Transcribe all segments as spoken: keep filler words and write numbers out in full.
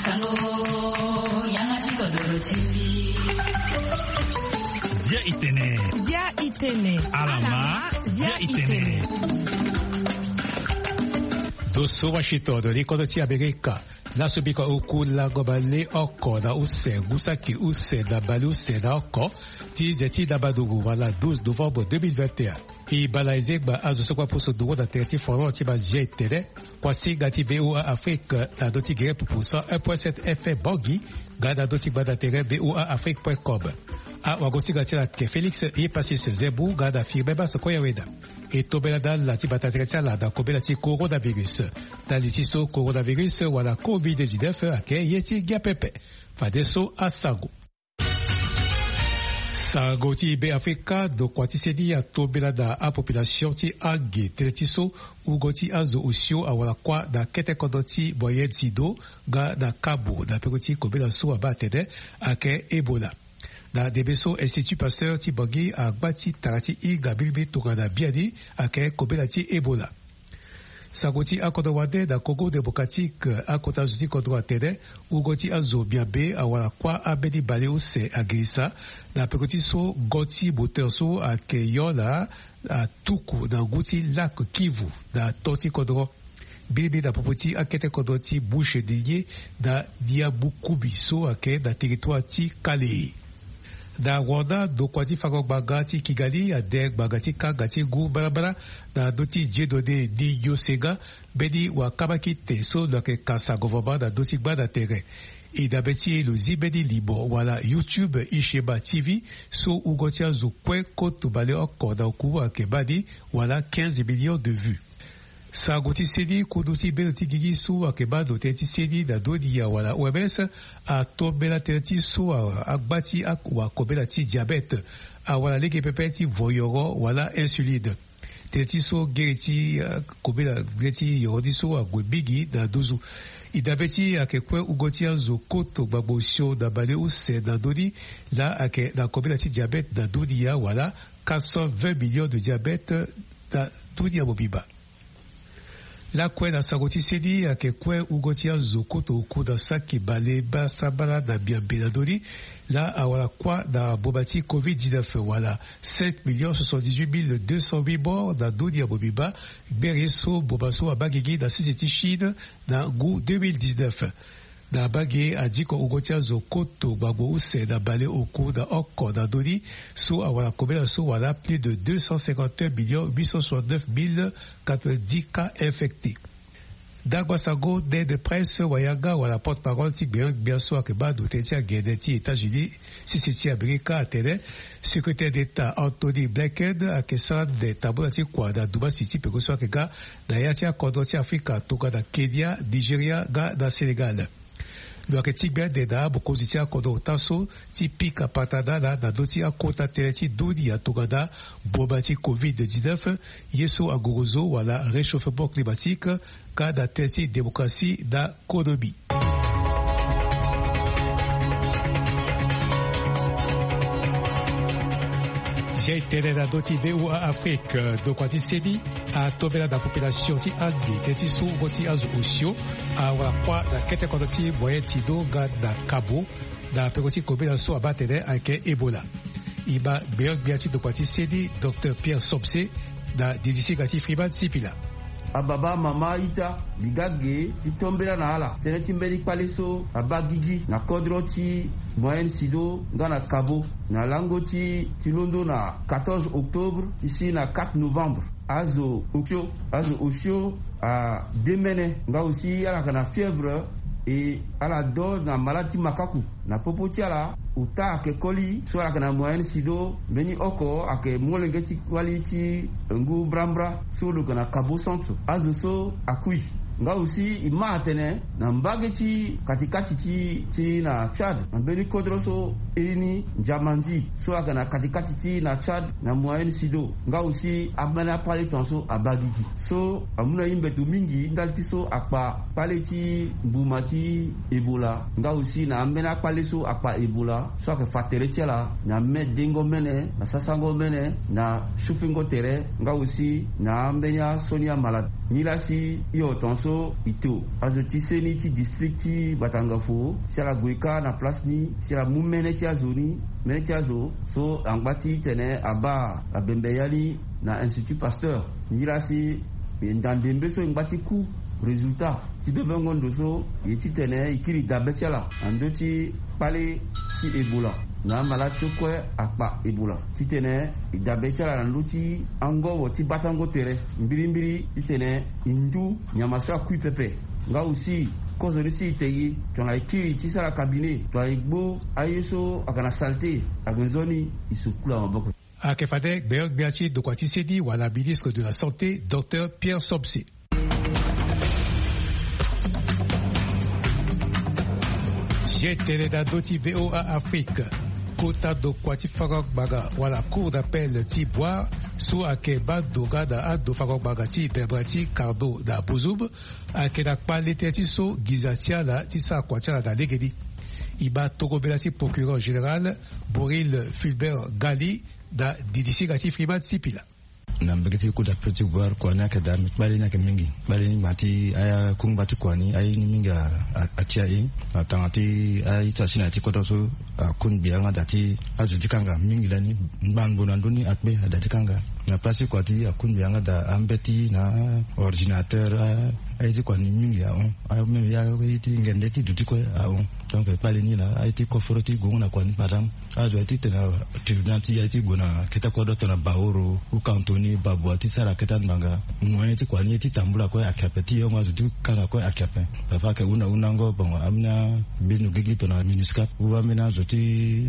Sango, yanga ti kodoro ti. Bia itene. Bia itene. Alama, bia itene. Do so Washington, do li kodro ti Amerika. Laso biko oku lango bale oko na use, ngu saki use na bale use na oko, ti nze ti na madungu wala douze novembre deux mille vingt et un. E bala ezengba azo so kue apusu nduru na tere ti folon ti mazia etene. Kuasinga ti V O A Afrique na ndö ti gere pupu cent un point sept F M Bangui, nga na ndö ti gbanda tere V O A Afrique point com. Awagosinga ti ala ayeke Félix Yepasis Zembu nga na Firmin Basse Koyaweda. E tombela na ala ti bata tere ti ala na kobela ti coronavirus. Na li ti so coronavirus wala covid dix-neuf ayeke ye ti ngia pepe. Fadeso asango. Sango ti Beafrika, ndokua ti seni atombela na apopulation ti ange tënë ti so wungo ti azo osio awara kuâ na kete kodro ti Moyen Sido nga na Kabo na peko ti kobela so abaa atene ayeke Ebola. Na ndembe so Institut Pasteur ti Bangui agba ti tara ti hinga mbirimbiri tongana biani ayeke kobela ti Ebola. Sango ti akodro wande na Congo Démocratique, akota zo ti kodro atene wungo ti azo miambe awara kuâ ambeni bale use agirisa na peko ti so ngo ti moteur so ayeke yo na atuku na ngu ti lac Kivu na to ti kodro. Mbirimbiri na popo ti akete kodro ti Bouche de Lier na Niabukubi so ayeke na territoire ti Kale. Na Rwanda, ndokua ti fango ngbanga ti Kigali ade ngbanga ti kanga ti ngu mbarambara na ndö ti Dieudonné Niyonsenga, mbeni wakambakite so lo yeke kasa gouvernement na ndö ti gbanda tere. E dabe ti e lo zi mbeni limo wala YouTube Ishema T V so wungo ti azo kue koto baleoko na oku ayeke baa ni wala quinze millions de vues. Sango ti seni, kundu ti bendo ti gigi so ayeke baa ndo tënë ti seni na ndö ni awala O M S atombela tënë ti so a- agba ti a- wakobela ti diabète awala lege pepe ti voyoro wala insuline. Tënë ti so gere ti, eh, kobela gere ti yoro ni so ague mingi na nduzu. E dabe ti e ayeke kue wungo ti azo koto gbagbo osio na baleuse na ndö ni laa ayeke na kobela ti diabète na ndö ni awala quatre cent vingt millions de diabète na ndö ni amobimba. Lakue na sango ti seni ayeke kue wungo ti azo koto oku na saki bale basambala na miambe na ndö ni laa awara kuâ na mboma ti covid dix-neuf wala cinq millions soixante-dix-huit mille deux cent huit morts na ndö ni amobimba. Gbere so mboma so abaa gigi na sese ti Chine na ngu deux mille dix-neuf. Na mbage adiko wungo ti azo koto gbagbo use na baleoku na oko na ndö ni so awara kobela so wala plus de deux cent cinquante et un millions huit cent soixante-neuf mille quatre-vingt-dix cas infectés. Ndangba sango nde presse wayanga wala porte-parole ti gbenyo-gbia so ayeke baa ndo tënë ti agene ti États-Unis sese ti Amerika atene secrétaire d'État Anthony Blinken ayeke sara ande tambula ti kua na dumasi ti peko so ayeke ga na ya ti akodro ti Afrika tongana Kenya, Nigeria nga na Sénégal. Lo yeke tingbi ande na amokonzi ti akodro ota so ti pika patara na ala na ndö ti akota tënë ti dunia tongana mboma ti covid dix-neuf, ye so angorozo wala réchauffement climatique, nga na tënë ti démocratie na konomi. Zia e tene na ndö ti V O A Afrique, ndokua ti seni atombela na population ti Angi tënë ti so wungo ti azo osio awara kuâ na kete kodro ti Moyen Sido nga na Kabo, na peko ti kobela so abaa atene ayeke Ebola. E ma gbenyo-gbia ti ndokua ti seni, Docteur Pierre Somse, na didi singa ti Freeman Sipila. Ababa, amama, a-ita, mbi ga ge ti tombela na ala tënë ti mbeni kpale so abaa gigi na kodro ti Moyen Sido nga na Kabo na lango ti, ti londo na quatorze octobre ti si na quatre novembre. Azo osio, azo osio ademene nga aussi ala yeke na fièvre, e ala do na malade ti makaku. Na popo ti ala, ota ayeke koli so ala yeke na Moyen Sido, mbeni oko ayeke molenge ti wali ti ngu mbrambra so lo yeke na Kabo Centre. Azo so akui. Nga aussi e ma atene na mbage ti katikati ti, ti na Tchad, na mbeni kodro so iri ni Ndjamandji so ayeke na katikati ti na Tchad na Moyen Sido. Nga aussi ambeni akpale tongaso abaa gigi so amu na e mbeto mingi ndali ti so akpa kpale ti mbuma ti Ebola, nga aussi na ambeni akpale so akpa Ebola so ayeke fa tere ti ala na me dengo mene, na sasango mene, na sufingo tere, nga aussi na ambeni asioni amalade. Nilasi hio tongaso e to azo ti seni ti district ti Batangafo si ala gue kâ na place ni si ala mu mene ti azo ni, mene ti azo so angba ti tene abaa abembe ya ni na Institut Pasteur. Nilasi e nda ndembe so e ngba ti ku résultat ti bebengo ndo so, e titene e kiri dabe ti ala na ndö ti kpale ti Ebola, na amalade so kue akpa Ebola, titene e dabe ti ala na ndö ti angobo ti batango tere mbirimbiri titene e ndu nyama so akui pepe. Nga aussi kozo ni si e te gi tongana e kiri ti sara cabinet tongana e gbu aye so ayeke na saleté, ayeke nzoni e sukula maboko. Ayeke fade gbeogbia ti dokua ti seni wala ministre de la santé, docteur Pierre Somse. Ye tene na ndö ti VOA Afrique. Kota dokua ti fango ngbanga wala cour d'appel ti Bouar so ayeke baa ndo nga na ando fango ngbanga ti Bemba ti Cardo na Bozoum ayeke na kpale tënë ti so nginza ti ala ti sara kua ti ala na legeni. E baa tongobela ti procureur général Boril Fulbert Gali na didisinga ti Freeman Sipila. Na mbege ti kota peti buar kua ni ayeke daa me kpale ni ayeke mingi. Kpale ni ma ti akungba ti kua ni aye ni mingi. Atia e na tanga ti aye ti asi na ya ti kodro so. Akungbi yanga daa ti azo ti kanga mingi lani. Ngbangbo na ndoni akpe ada ti kanga na place ti kua ti akungbi yanga daa ambeti na ordinateur. Aye ti kua ni mingi ahon. Ameme ya aye ti ngende ti duti kue ahon. Donc kpale ni laa aye ti koforo ti gongo na kua ni padam. Azo aye ti tene tribunal ti ya ti gue na kete kodro tongana baoro ou kantoni babua ti sara kete angbanga. Moyen ti kua ni ye ti tambula kue ayeke ape ti yongo azo ti kanga kue ayeke ape. Papa ayeke hunda hundango bongo ambeni bino gigi tongana minuscap ou ambeni azo ti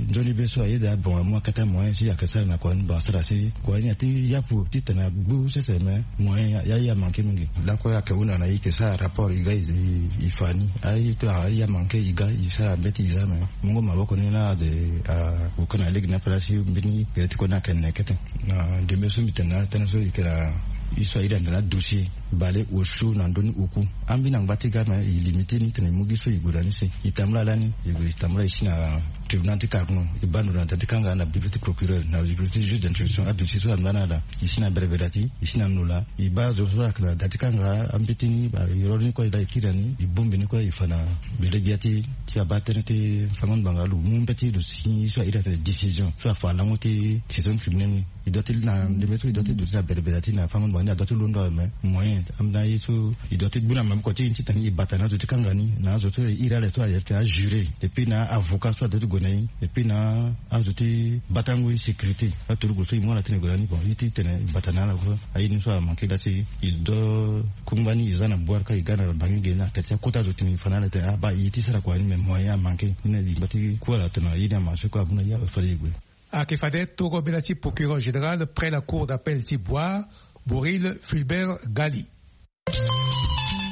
nzoni be so ayeda bongo amu akete moyen si ayeke sara na kua ni bongo asara si kua ni aye ti yapu ti tene agbu sese me. Moyen ya ye amanke mingi. Lakue ayeke hunda na ye yeke sara rapport e ga e fa ni aye ti aye amanke e ga e sara mbeti e za me. Mungo maboko ni la ade. Akoka na lege ni ape la si mbeni gere ti kue ni ayeke ne kete. Na ndembe so mbi tene na ala tënë so e yeke na e so airi ande na adossier bale osio na ndö ni oku. Ambeni angba ti ga me e limite ni tene e mu gi so e gue na ni si e tambula lani e gue e tambula e si na tribunal ti carno e baa ndo na da ti kanga na bureau ti procureur na bureau ti juge d'instruction adossier so anda na ala. E si na berebere da ti e si na nola e baa zo so ayeke na da ti kanga ambeti ni ba e roro ni kue e da e kiri na ni e bongbi ni kue e fa na bele gbia ti ti abaa tënë ti fango ngbanga lo mu mbeti lo si so airi atene décision so afa lango ti saison criminel ni. E doit ti na ndembe so e doit ti duti na berebere ti na fango ngbanga ni adoit ti londo awe me moyen ambeni aye so e doit ti gbu na maboko ti e ni titene e bata na azo ti kanga ni na azo so e iri ala so ayeke tene ajuré et puis na avocat so adoit ti gue na e et puis na azo ti batango e sécurité. Aturugu so e mu ala tene e gue na ni bon e ti tene e bata na ala so aye ni so amanke da ti e do kungba ni e za na bwar ka e ga na bangi ge ni atene ti akota azo tene e fa na ala tene aba e ti sara kua ni me moyen amanke ni na e ngba ti ku ala tene aye ni amanke kue amu na e awe fade e gue. Ayeke fade toro bela ti procureur général près la cour d'appel ti Bouar, Boril Fulbert Gali.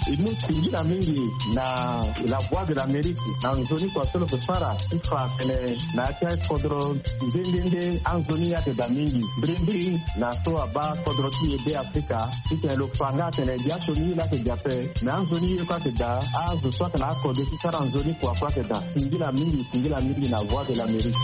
E mu singila mingi na la voix de l'Amérique na nzoni kua so lo yeke sara ti fa atene na ya ti akodro nde nde nde anzoni ayeke daa mingi mbirimbiri na so abaa kodro ti e be afrika. Titene lo fa nga atene biasioni ye laa ayeke daa ape. Me anzoni ye kue ayeke daa azo so ayeke na akode ti sara nzoni kua kue ayeke daa. Singila mingi singila mingi na voix de l'Amérique.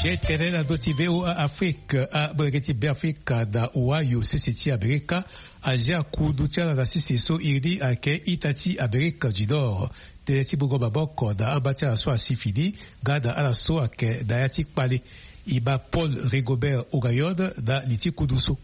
Ye tene na ndö ti VOA Afrique. Amolenge ti Beafrika na Ohio sese ti Amerika azia kundu ti ala na sese so iri ni ayeke ita ti Amerika du Nord. Tënë ti mungo maboko na amba ti ala so asi fini nga na ala so ayeke na ya ti kpale. E ma Paul Rigobert Ogayon na li ti kundu so.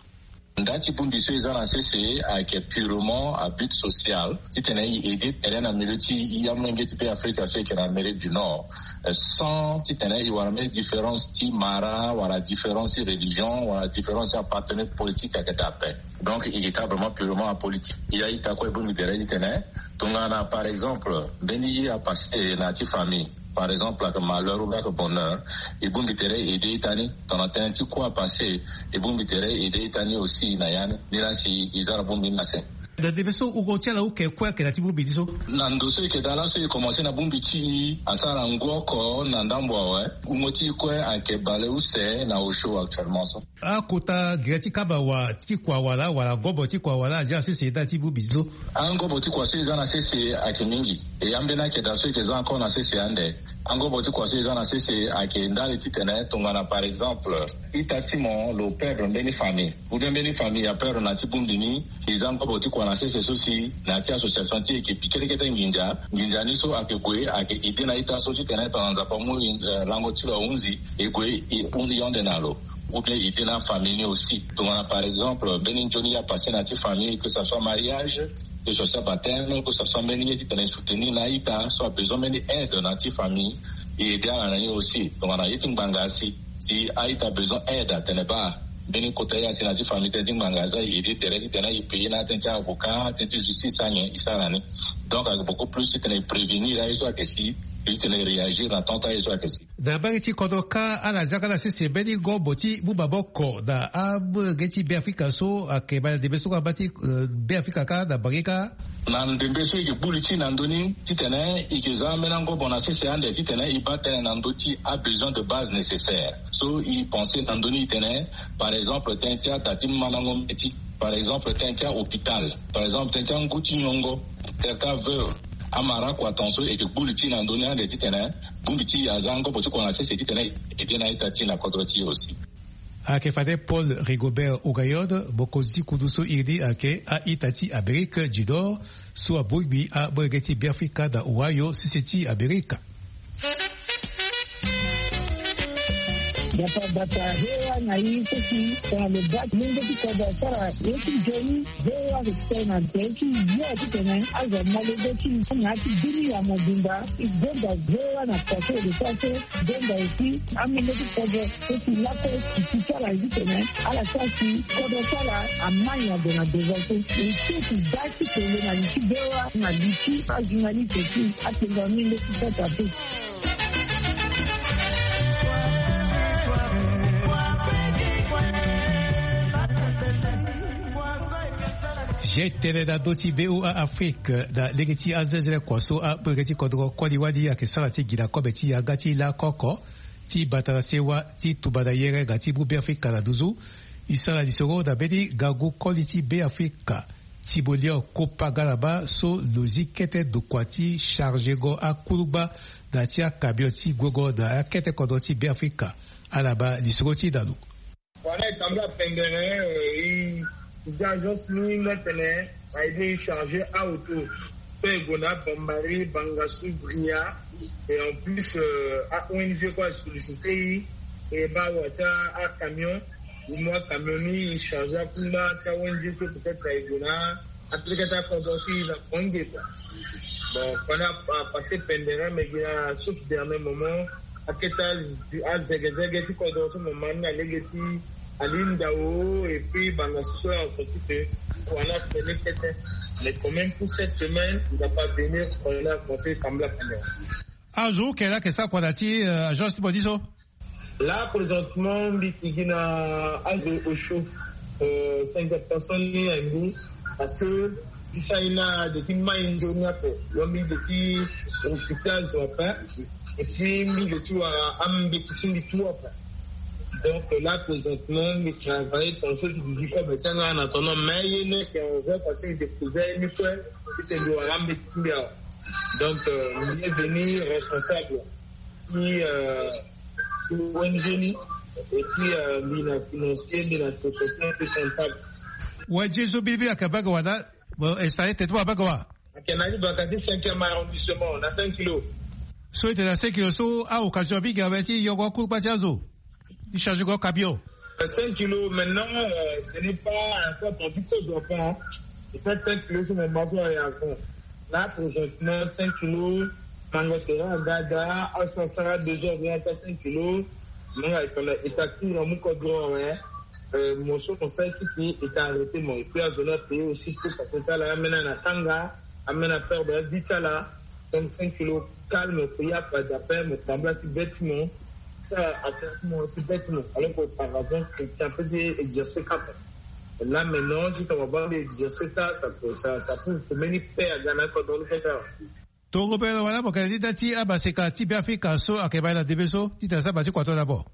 Nda ti bongbi so e za na sese ayeke purement à but social titene e aider tere na milieu ti amolenge ti Beafrika so e yeke na Amérique du Nord. Sans titene e wara mbeni différence ti mara wala différence ti religion wala différence ti appartenance politique ayeke daa ape. Donc e yeke taa vraiment purement apolitique. E a-ita kue e bongbi tere titene tongana par exemple mbeni ye apasse na ya ti famille, par exemple ayeke malheur ou bien ayeke bonheur, e bongbi tere e aider ita ni. Tongana tënë ti kue apasse, e bongbi tere e aider ita ni aussi na ya ni. Ni laa si e za na bongbi ni na se. Na ndembe so wungo ti ala oke kue ayeke na ya ti bongbi ni so. Na ndo so e yeke daa laso e commencer na bongbi ti e asara ngu oko na ndambo awe. Wungo ti e kue ayeke baleuse na osio actuellement so. Akota gere ti kaba wa ti kua wala wala ngobo ti kua wala aza na sese ndali ti bongbi so? Angobo ti kua so eza na sese ayeke mingi. E ambeni akeda so eke za encore na sese ande. Angobo ti kua so eza na sese ayeke ndali titene tongana par exemple ita ti mo lo perdre mbeni famille ou bien mbeni famille aperdre na ti bongbi ni. Eza angobo ti kua na sese so si na ya ti association ti e eke pike ti kete nginza. Nginza ni so ayeke gue ayeke ide na ita so titene tongana nzapa amu lango ti lo ahunzi e gue e hunzi yonde na lo. Ou bien ide na famille ni aussi tongana par exemple mbeni nzoni ya passe na ti famille que ça soit mariage, que ça soit baptême, que ça soit mbeni ye titene e soutenir na ita so abesoin mbeni aide na ti famille. E ede ala na ni aussi tongana ye ti ngbanga asi si a-ita besoin aide atene baa mbeni kota ye asi na ti famille tënë ti ngbanga aza e ede tere titene e payer na atënë ti avocat, atënë ti justice anyen e sara na ni. Donc ayeke beaucoup plus titene e prévenir aye so ayeke si, titene e réagir na temps ti aye so ayeke si. Na mbage ti kodro kâ ala zia nga na sese mbeni ngobo ti mu maboko na amolenge ti Beafrika so ayeke ma na ndembe so nga ma ti Beafrika kâ na mbage kâ. Na ndembe so e yeke gbu li ti na ndö ni titene e yeke za ambeni angobo na sese ande titene e baa tënë na ndö ti abesoin de base nécessaire so e pense na ndö ni titene par exemple tënë ti ada ti mandango mbeti, par exemple tënë ti ahôpital, par exemple tënë ti angu ti nyongo, tënë ti aveuve. Amara kua tongaso e yeke gbu li ti na ndö ni ande titene bongbi ti e aza angobo ti kua na sese titene e de na ita ti e na kodro ti e aussi. Ayeke fade Paul Rigobert Ogayon, mokonzi ti kundu so iri ni ayeke a-ita ti Amerike du Nord so abongbi amolenge ti Beafrika na Ohio sese ti Amerika. Dapa bata hewa na i so si tongana lo baa ti mungo ti kodro asara ye ti nzoni. Hewa respect na nze ti yo titene azo molenge ti na ya ti dunia mobimba. E gonda hewa na kua so e lo sara so. Donda aussi amolenge ti kodro so si lakue e si ti ala ye titene ala sara si kodro ti ala amai ade na devant so. E so si da ti tene na li ti bewa na li ti ajournaliste ti atenga amolenge ti kota so. Ge tene na ndö ti V O A Afrique na lege ti azenzele kua so amolenge ti kodro koli wali ayeke sara ti gi na kobe ti yanga ti lakoko ti bata na sewa ti tumba na yere nga ti mu Beafrika na nduzu. E sara lisoro na mbeni ngangu koli ti Beafrika ti mo lio kopa nga na baa so lo zi kete ndokua ti chargengo akulungba na ya ti akamion ti guengo na akete kodro ti Beafrika. Ala baa lisoro ti na lo. Wala e tambula pendere, e, e ga agence ni nga tene a aidé e charger aauto. Pe e gue na Bambari, Bangassou, Bria. Et en plus, euh, a-O N G kue a sollicité e, e baa awa ti acamion. E mu acamion ni e charger akungba ti a-O N G so peut-être e gue na apeleke ti akodro so e na Bangui kua. Bon, pendant a passé pendere mais e gi na sauf dernier moment. Akete azegezege ti kodro so mo ma ni na lege ti ali ndao et puis Bangassou so en sorti que kua ni atene kete. Mais quand même pour cette semaine il va pas venir, kua ni akomense e tambula pendere. Azo hu ke laa ayeke sara kua na ya ti agence ti mo ni so? Là présentement mbi yeke gi na azo osio. Cinquante personnes ni na mbi. Parce que ti sara ni na de ti mai nzoni ape. Donc mbi de ti recruter azo ape. Et puis mbi de ti wara ambeti ti mbi tout ape. Donc là présentement mbi travaille ton so ti didi kobe ti anga na tono mais ye ni ayeke en vrai parce que mbi découvert ye ni kue. Titene mbi wara ambeti ti mbi awe. Donc euh, mbi est venu responsable ti euh, ti O N G ni. Et puis euh, mbi na financier, mbi na secrétaire, mbi comptable. O N G so mbi mbi ayeke bage wala? Bon, installé tene ti mo abage wa? Ayeke na ni baka ti cinquième arrondissement na cinq kilos. So e tene na cinq kilos so a-occasion mingi awe ti yongo akungba ti azo ti charger go camion. Cinq kilos maintenant, euh, ce n'est pas un poids ton ti kozo ape. Peut-être cinq kilos so mo ma so aye avant. Là présentement cinq kilos, mango terrain aga aga, aso asara deux heures vingt asara cinq kilos. Mo nga e tongana état ti mo na mu kodro awe. Euh, mo so mo sara ti ti état arrêté mo et puis azo ni apayé aussi pour parce que ti ala ameni na tanga, ameni aperdre avi ti ala. Donc cinq kilos calme, prière, pas d'appel, mo tambula ti bêtement. Ça, attends, mo ti bêtement. Alors qu'auparavant, chrétien peut dire exercer quatre. Là maintenant, si on va voir exercer ça, ça peut, ça, ça peut, peut mener père à Ghana quand on le fait ça. Tongo belo wala mo kele ni nda ti amaseka ti Beafrika so ayeke ma na ndembe so titene asara ma ti kua to na mo.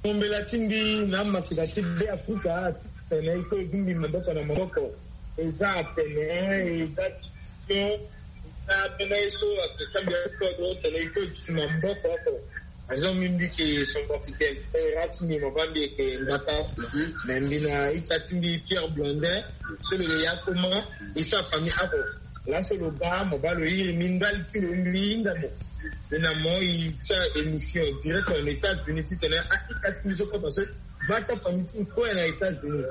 Mombela ti mbi na maseka ti Beafrika atene e kue e gumbi maboko na maboko. Eza atene eza division, eza ambeni ye so ake kambia ti kodro tene e kue e duti maboko oko. Azo mbi mbi ke Centrafricain, eh, race mbi mo baa mbi eke Ngbata. Me mbi na ita ti mbi Pierre Blondin, so lo yeke ya Koma, e sara famille oko. Laso lo baa mo baa lo iri mbi ndali ti lo, mbi hinga mo. Mbi na mo e sara émission direct en États-Unis titene a ita ti mbi so kue parce que baa ti afamille ti mbi kue na États-Unis.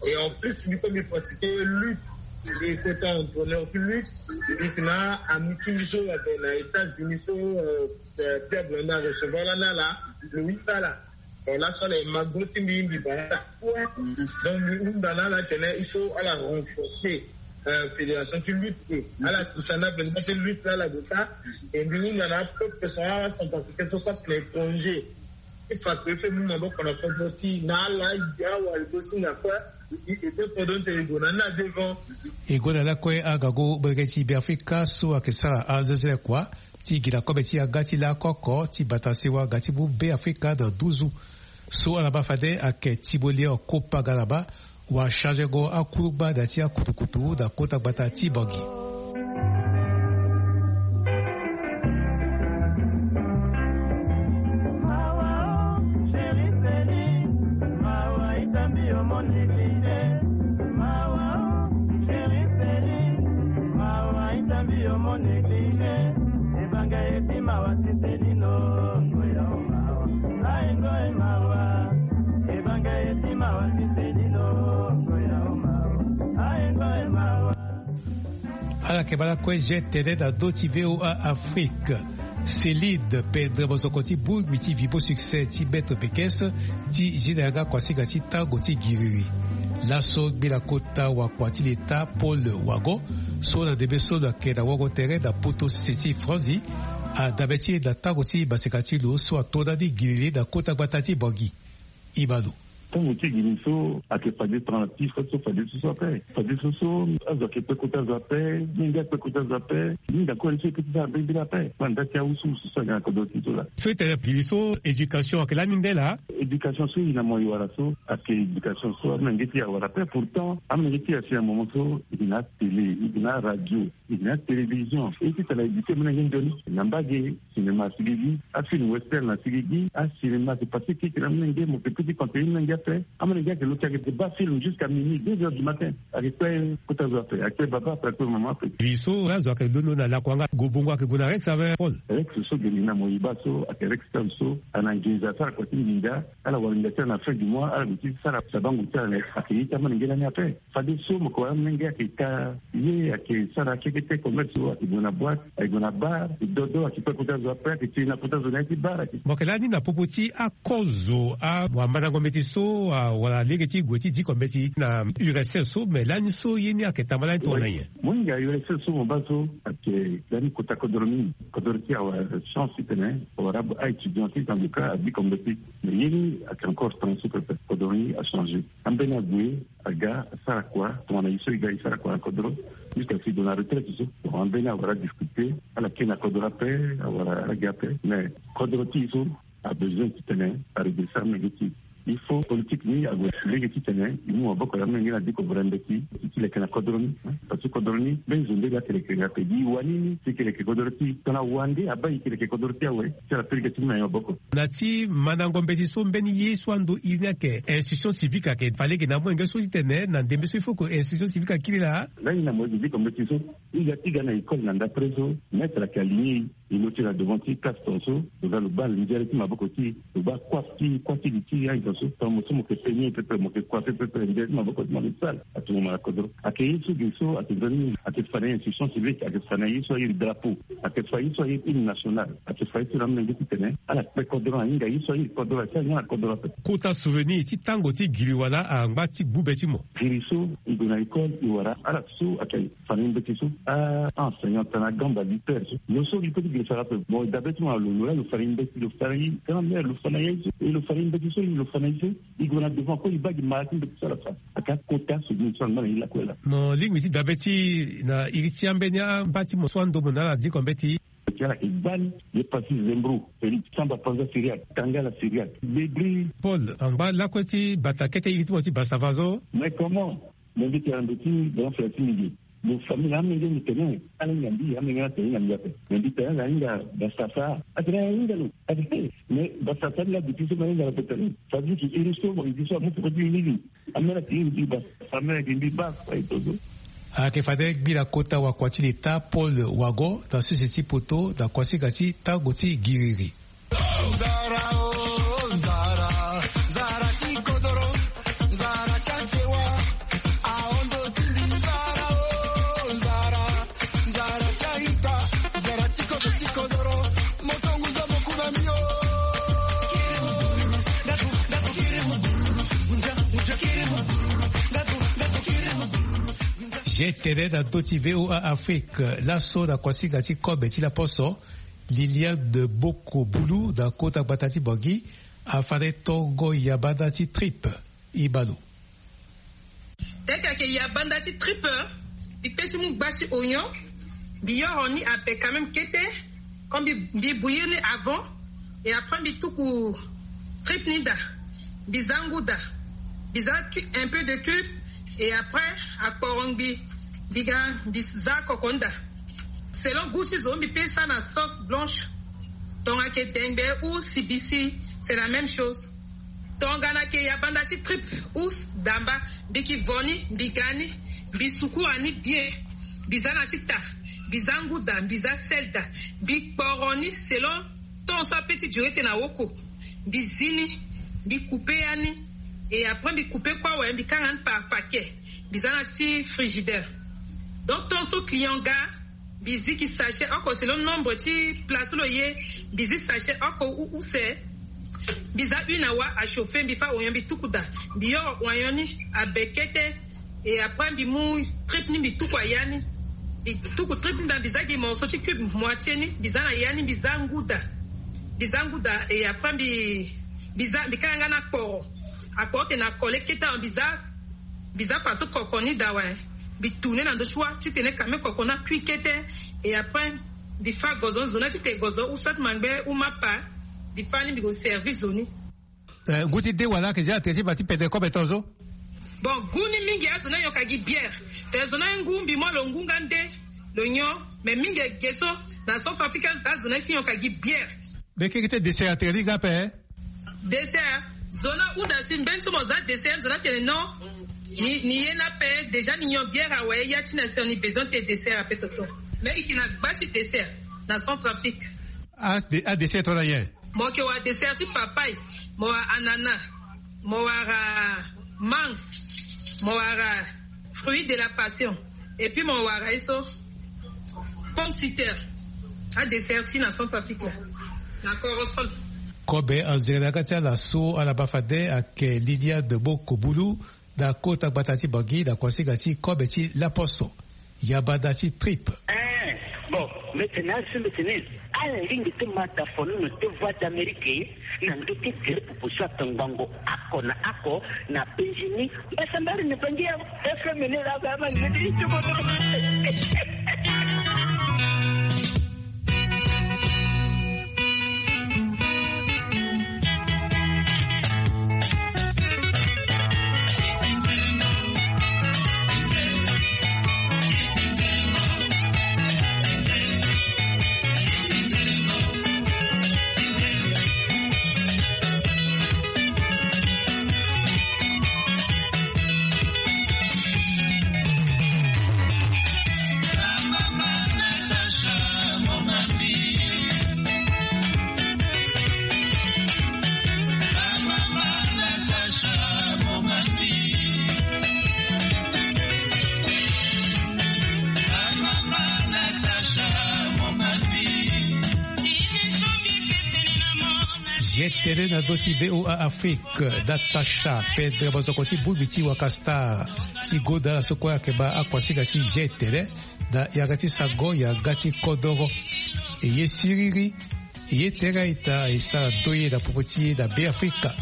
Et en plus mbi kue mbi pratique lutte. Mbi kota entraîneur ti lutte. Mbi yeke na ami ti mbi so ayeke na États-Unis so, euh, euh, Pierre Blondin arecevoir lani ala, lo hunda ala. Bon, laso ala e ma gro ti mbi, mbi baa ala. Donc mbi hunda na ala tene il faut ala renforcer, euh, fédération ti lutte, e ala kisa na benda ti lutte la ala gue sara. E mbi hunda na apeuple so, acentrafricain so kue ayeke na étranger, e fa kue fe mu maboko na kodro ti e na ala, e awara e go singa kue. E, e, e, kodro ti e gue na ni na devant. E gue na lakue agago bereke ti Beafrika so ayeke sara azezele kua ti gi na kobe ti aga ti lako oko ti bata sewa ga ti mu Beafrika na nduzu. So ala baa fade ayeke Timoléon Kopa Galaba, wala charge go akulugba da ti akutukutu na kota gbata ti Bangui. Ala yeke baa lakue je tene na ndö ti VOA Afrique. Célide Pedre, mosoko ti bungbi ti Vibo Succès ti Beto Pekes, ti zi na yanga kuasinga ti tango ti giriri. Laso gbela kota wakua ti leta Paul Wagon, so na ndembe so lo yeke na wango tere na poto sese ti Franzi, adabe ti e na tango ti maseka ti lo so ato ndani giriri na kota gbata ti Bangui. Imano. Tango ti giri so ayeke fade tongana ti so fade so so ape. Fade so so azo ayeke kpe kota zo ape, mingi akpe kota zo ape. Mingi akue so e kpe ti sara mbirimbiri ape. Kue na nda ti awusuwusu so ayeke na kodro ti so laa. So e tene giri so éducation ayeke lani nde laa? Éducation so e na mo e wara so ayeke éducation so amolenge ti e awara ape. Pourtant amolenge ti e asi na moment so e yeke na atélé, e yeke na aradio, e yeke na atélévision. E ti tara éduquer amolenge nzoni na mbage. Cinéma asigi gi, afilm western asigi gi, acinéma ayeke passé keke na amolenge, mo yeke peut ti conseiller amolenge ape. Amolenge ayeke lo ti ayeke baa film jusqu'à minuit, deux heures du matin. Ayeke kpe kota zo ape, ayeke kpe baba ape, ayeke kpe mama ape. Giri so azo ayeke londo na lakua nga, gobongo ayeke gue na Rex ape Paul? Rex so giri na mo e baa so ayeke Rex Town so, ana nginza asara kua ti nginza, ala wara nginza ti ala na fin du mois, ala gue ti sara sabango ti ala na ayeke ye ti amolenge lani ape. Fade so mo yeke wara amolenge ayeke ka ye, ayeke sara keke te, commerce so ayeke gue na boîte, ayeke gue na bar, dodo ayeke kpe kota zo ape, ayeke tene na kota zo na ya ti bar ayeke. Mo yeke lani na popo ti akozo, awamandango mbeti so, a, wala lege ti gue ti diko mbeti na U R S S so, me lani so ye ni ayeke tamba lani tongana nyen? Mohinga U R S S so mo baa so ayeke lani kota kodro mingi. Kodro ti e awara chance titene awara a-étudiant ti tanga ka adiko mbeti. Me ye ni ayeke encore temps so pepe, kodro ni achangé. Ambeni ague aga asara kua tongana e so e ga e sara kua na kodro. Jusqu'à si e gue na retraite so, bon, ambeni awara difficulté, ala kiri na kodro ape, awara ala gi ape. Mais kodro ti e so abesoin titene aredresser amolenge ti e. Il faut politique ni ague lege titene e mu maboko na amolenge na diko vere mbeti ti leke na kodro ni. Parce que kodro ni mbeni zo nde ga ti leke ape. Gi e wani ni ti leke kodro ti e. Tongana wande abaa e ti leke kodro ti e awe, ti ala peleke ti mu na e maboko. Na ti mandango mbeti so, mbeni ye so ando iri ni ayeke instruction civique ayeke fa lege na amolenge so titene na ndembe so il faut que instruction civique akiri laa? Lani na mo yeke diko mbeti so, e ga ti ga na école na ndapre so, maître ayeke aligné e, e lo ti na devant ti classe tongaso, lo ga lo baa nzere ti maboko ti e, lo baa coiffe ti, coiffe ti li ti e, azo so tongana mo so mo yeke peigner pepe, mo yeke coiffer pepe, nzere ti maboko ti mo ayeke sale. Atumo mo na kodro. Ayeke ye so ge so ayeke nzoni, ayeke fa na e instruction civique, ayeke fa na e ye so airi drapeau, ayeke fa ye so airi hymne national, ayeke fa ye so na amolenge titene ala kpe kodro, ahinga ye so airi kodro, asi ahinga na kodro ape. Kota souvenir ti tango ti giri wala angba ti gbu be ti mo? Giri so e gue na école e wara ala so ayeke fa na e mbeti so, a, a-enseignant tongana agamba, lutteur so, lo so e peut ti giri sara ape. Bon, dabe ti mo na lo, lo laa lo fa na e mbeti, lo fa na e grand-mère, lo fa na e aye so, e lo fa na e mbeti so, e lo fa na e so. E gue na devant kue e baa gi mara ti mbeti so ala fa. Ayeke akota souvenir so angba na e lakue laa. Mo lingbi ti dabe ti e na iri ti ambeni angba ti mo so ando mo na ala diko mbeti. Ti ala ke gbani. Ye pasi zembro, Félix samba panza syriaque, tangala syriaque, debri. Paul angba lakue ti bata kete iri ti mo ti basava zo. Mais comment? Mo mbi tene na ndo ti grand frère ti mbi ge. Mo famille na amenge mbi tene ala hinga mbi, amenge na tene hinga mbi ape. Mais mbi tene ala hinga basasa, atene ala hinga lo. Atene mais basasa ni la duti so ma hinga lo ape tene. Ça veut dire que iri so mo iri so amu foko ti iri ni. Amene ake mbi ba, amene ake mbi ba. Ayeke fade gbila kota wakua ti leta Paul Wago na sese ti poto na kuasinga ti tango ti giriri. G T N na ndö ti V O A Afrique. Laso na kuasinga ti kobe ti laposo, Liliane Boko Bulu na kota gbata ti Bangui afade tongo yabanda ti tripe. Ibalo. Teke ayeke yabanda ti tripe, mbi pe ti mu gba ti oignon, mbi yoro ni ape quand même kete. Comme mbi mbi bouillir ni avant, et après mbi tuku tripe ni daa, mbi za ngu daa, mbi za un peu de cube, et après akporo ngbi, mbi ga mbi za koko ni daa. Selon goût ti zo, mbi pe sara na sauce blanche. Tongana ayeke dengbe ou sibisi, c'est la même chose. Tongana ayeke yabanda ti tripe ou damba, mbi ki vo ni, mbi ga ni, mbi sukura ni bien, mbi za na ti ta, mbi za ngu daa, mbi za sel daa, mbi kporo ni selon temps so ape ti duré tene na woko. Mbi zi ni, mbi coupe ya ni, et après mbi coupe kue awe, mbi kanga ni par paquet, mbi za na ti frigidaire. Donc temps so client ga, mbi zi gi sachet oko selon nombre ti place lo ye. Mbi zi sachet oko use. Mbi za une awa achauffer, mbi fa oignon mbi tuku daa, mbi yoro oignon ni abe kete. Et après mbi mu tripe ni mbi tuku aya ni. Mbi tuku tripe ni daa, mbi za gi morceau ti cube moitié ni, mbi za na ya ni, mbi za ngu daa. Mbi za ngu daa, et après mbi mbi za mbi kanga nga na kporo. Akporo tene akole kete awe, mbi za mbi za faso koko ni daa awe. Mbi tourne na ndo ti wa titene kame koko ni akui kete. Et après mbi fa gozo ni, zo ni titene gozo ou soit mangbe ou mapa. Mbi fa ni mbi ko servi zo ni. Eh, ngu ti de wala ayeke zia atene ti ma ti pede kobe tongaso? Bon, ngu ni mingi azo ni ayonka gi bière. Tene zo ni aye ngu, mbi mu lo ngu nga nde lo nyon. Mais mingi ge so na Centrafrique azo ni aye ti yonka gi bière. Mbi kiri ti dessert atene ni nga ape. Dessert, zo ni ahunda si mbeni so mo za dessert, zo ni atene non. Ni ni ye ni ape déjà, ni nyon bière awe. Ya ti na sioni besoin ti dessert ape toto. Mais e yeke na gba ti dessert na Centrafrique. Adessert tongana nyen? Mo yeke wara dessert ti papaye, mo wara ananas, mo wara mangue, mo wara fruit de la passion, et puis mo wara ye so pomme citer. Adessert ti na Centrafrique la, na Korosol. Kobe anzere na ya ga ti ala so ala baa fade ayeke Liliane Boko Bulu, na kota gbata ti Bangui na kuasinga ti kobe ti laposo. Yabanda ti tripe. Eh, bon, mbi tene asi mbi tene ala lingbi ti ma dafono na te Voix d'Amérique na ndö ti gere popo so atongbango oko na oko na Benjini. Mbasambari na Bangui ya F M ni la ba ma ndö ti. G T N na ndö ti V O A Afrique. Natacha Pedre, mozoko ti bongbi ti Waka Star ti Goda, so kue ayeke baa akuasinga ti G T N na yanga ti sango yanga ti kodoro. E ye siriri, e ye tere a-ita e sara ndoye na popo ti e na Beafrika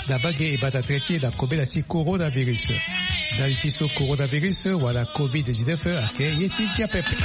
na mbage e bata tere ti e na kobela ti coronavirus. Ndali ti so coronavirus wala covid dix-neuf ayeke ye ti ngia pepe.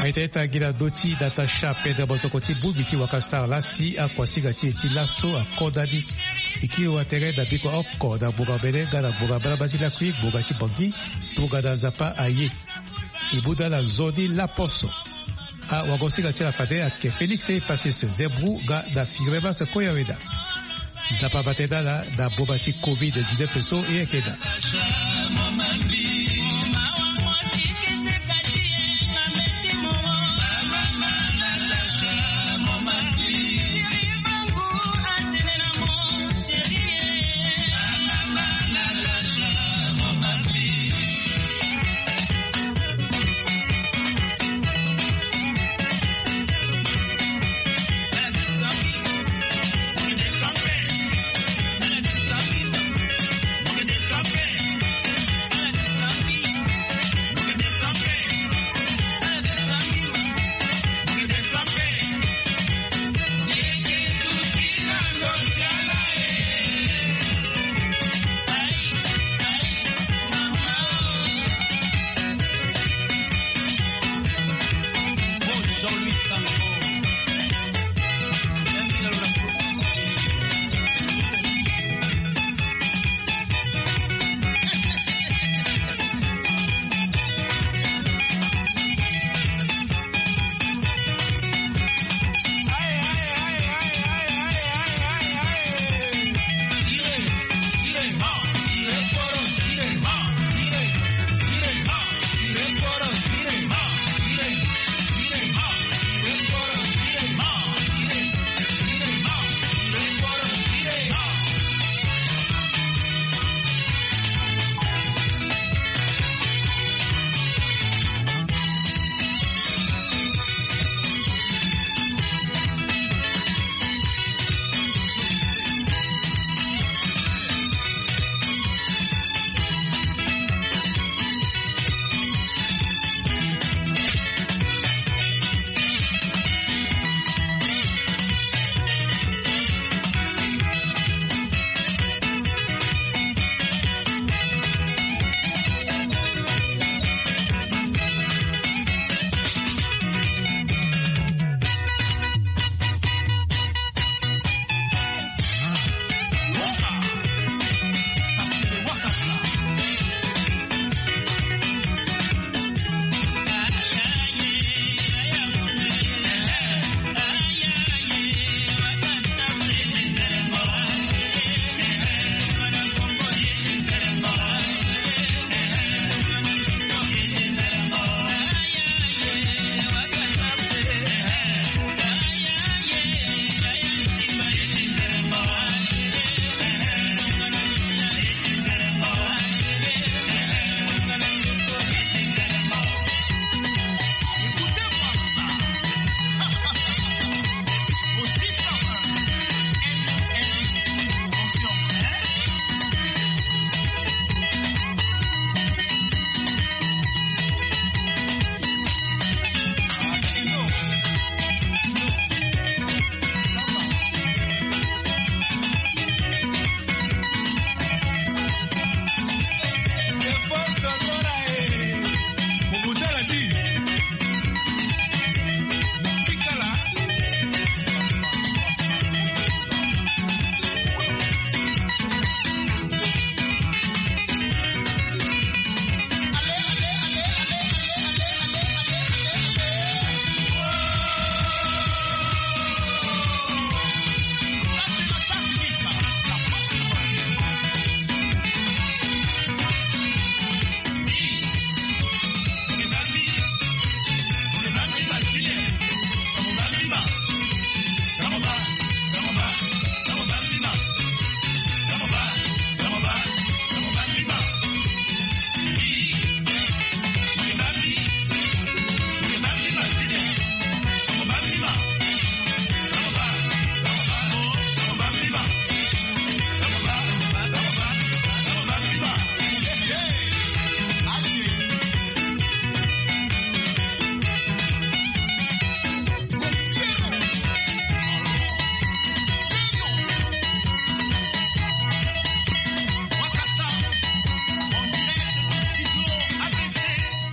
Aita ita gi na ndö ti Natasha Pedre, mosoko ti bungbi ti Wakastar laa si akuasinga ti e ti laso akonda ni. E kiri wa tere na biko oko na ngbonga mene nga na ngbonga balaba ti lakui ngbonga ti Bangui. Tongana Nzapa aye, e mu da na nzoni laposo. Awagosinga ti ala fade ayeke Félix Epasis Zembou nga na Firmemas Koyaweda. Nzapa abate na ala na boma ti covid dix-neuf so e yeke daa.